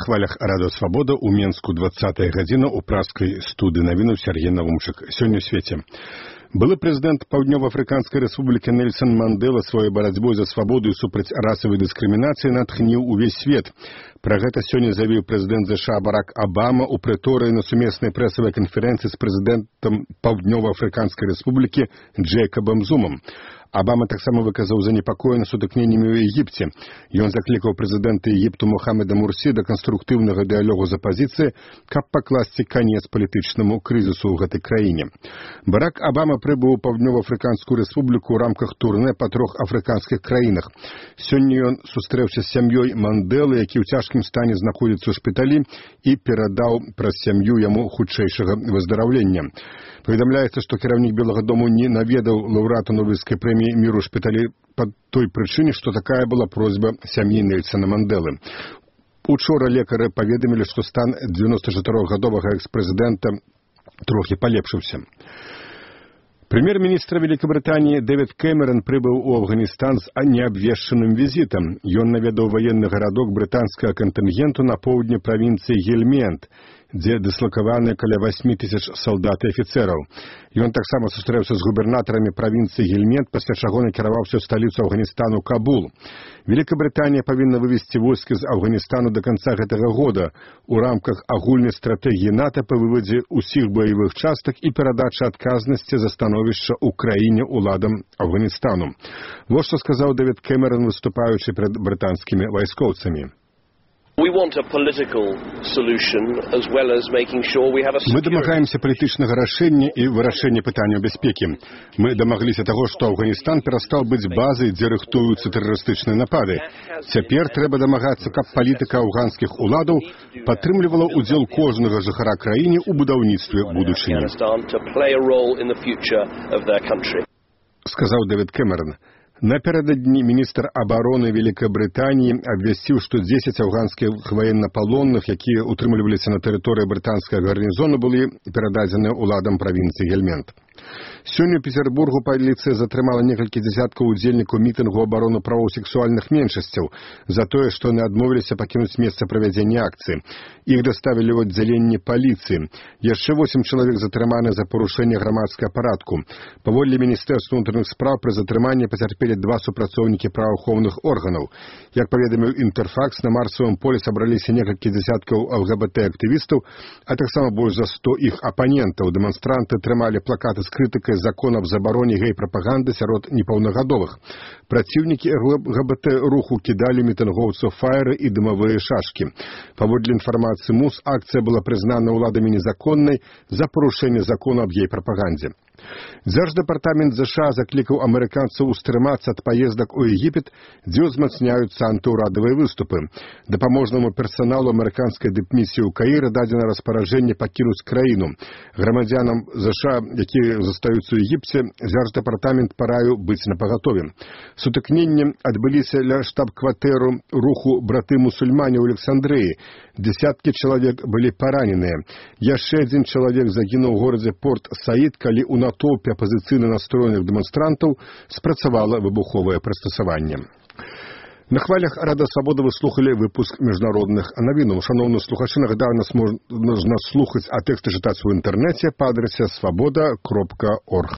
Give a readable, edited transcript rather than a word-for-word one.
хвалях Радыё Свабода ў Менску 20-я гадзіна ў праскай студыі навінаў Сергей Навумчык. Сёння ў свеце. Былы прэзідэнт Паўднёва-Афрыканскай рэспублікі Нельсон Мандэла сваёй барацьбой за свабоду і супраць расавай дыскрымінацыі натхніў увесь свет. Пра гэта сёння заявіў прэзідэнт США Барак Абама ў прыторыі на сумеснай прэсавай канферэнцыі з прэзідэнтам Паўднёва-Афрыканскай рэспублікі Джэйкабам Зумам. Абама таксама выказаў занепакоенне сутыкненнямі ў Егіпце. Ён заклікаў прэзідэнта Егіпту Мухаммеда Мурсі да канструктыўнага дыялогу з апазіцыяй, каб пакласці канец палітычнаму крызісу ў гэтай краіне. Барак Абама прыбыў у Паўднёва-Афрыканскую рэспубліку ў рамках турнэ па 3 афрыканскіх краінах. Сёння ён сустрэўся з сям'ёй Мандэлы, які ў цяжкім стане знаходзіцца ў шпіталі, і перадаў праз сям'ю яму хутчэйшага выздараўлення. Паведамляецца, што кіраўнік Белага дому не наведаў лаўрэата Нобелеўскай прэміі міру ў шпіталі па той прычыне, што такая была просьба сям'і Нельсона Мандэлы. Учора лекары паведамілі, што стан 94-гадовага экс-прэзідэнта трохі палепшыўся. Прэм'ер-міністр Великабрытаніі Дэвід Кэмерон прыбыў у Афганістан з неабвешчаным візітам. Ён наведаў ваенны гарадок брытанскага кантынгенту на поўдні правінцыі Гельмент, дзе дыслакаваны каля 8 тысяч салдат і афіцэраў. Ён таксама сустрэўся з губернатарамі правінцыі Гельмент, пасля чаго накіраваўся ў сталіцу Афганістану Кабул. Великабрытанія павінна вывесці войскі з Афганістану да канца гэтага года у рамках агульнай стратэгіі НАТО па вывадзе ўсіх баявых частак і перадачы адказнасці за становішча ў краіне ўладам Афганістану. Вось што сказаў Дэвід Кэмерон, выступаючы перад брытанскімі вайскоўцамі. Мы дамагаемся палітычнага рашэння і вырашэння пытанняў бяспекі. Мы дамагліся таго, што Афганістан перастаў быць базай, дзе рыхтуюцца тэрарыстычныя напады. Цяпер трэба дамагацца, каб палітыка афганскіх уладаў падтрымлівала ўдзел кожнага жыхара краіны ў будаўніцтве будучыні. Сказаў Дэвід Кэмерон. Напярэдадні міністр абароны Великабрытаніі абвясціў, што 10 афганскіх ваеннапалонных, якія утрымліваліся на тэрыторыі брытанскага гарнізону, былі перададзеныя ўладам правінцыі Гельмент. Сёння ў Петербургу паліцыя затрымала некалькі дзясяткаў удзельнікаў мітынгу абароны правоў сексуальных меншасцяў за тое, што яны адмовіліся пакінуць месца правядзення акцыі. Іх даставілі ў аддзяленне паліцыі. Яшчэ 8 чалавек затрыманы за парушэнне грамадскага парадку. Паводле Міністэрства ўнутраных спраў пры затрыманні пацярпелі 2 супрацоўнікі праваахоўных органаў. Як паведаміў Інтэрфакс, на марсавым полі сабраліся некалькі дзясяткаў ЛГБТ-актывістаў, а таксама больш за 100 іх апанентаў. Дэманстранты трымалі плакаты з крытыкай закона аб забароне гей-прапаганды сярод непаўнагадовых. Праціўнікі ЛГБТ-руху кідалі мітынгоўцаў фаеры і дымавыя шашкі. Паводле інфармацыі МУС, акцыя была прызнана ўладамі незаконнай за парушэнне закона аб гей-прапагандзе. Дзярждэпартамент США заклікаў амерыканцаў устрымацца ад паездак у Егіпет, дзе ўзмацняюцца антыўрадавыя выступы. Дапаможнаму персаналу амерыканскай дыпмісіі ў Каіры дадзена распараджэнне пакінуць краіну. Грамадзянам США, якія застаюцца ў Егіпце, дзярждэпартамент параіў быць напагатове. Сутыкненні адбыліся ля штаб-кватэру руху браты-мусульмане ў Александрыі. Десяткі чалавек былі параненыя. Яшчэ адзін чалавек загінуў у горадзе Порт-Саід, калі ў натоўпе апазіцыйна настроеных дэманстрантаў спрацавала выбуховае прыстасаванне. На хвалях Радыё Свабода вы слухалі выпуск міжнародных навінаў. Шаноўныя слухачы, нагадаю, нас можна слухаць, а тэксты чытаць у інтэрнэце па адрасе swaboda.org.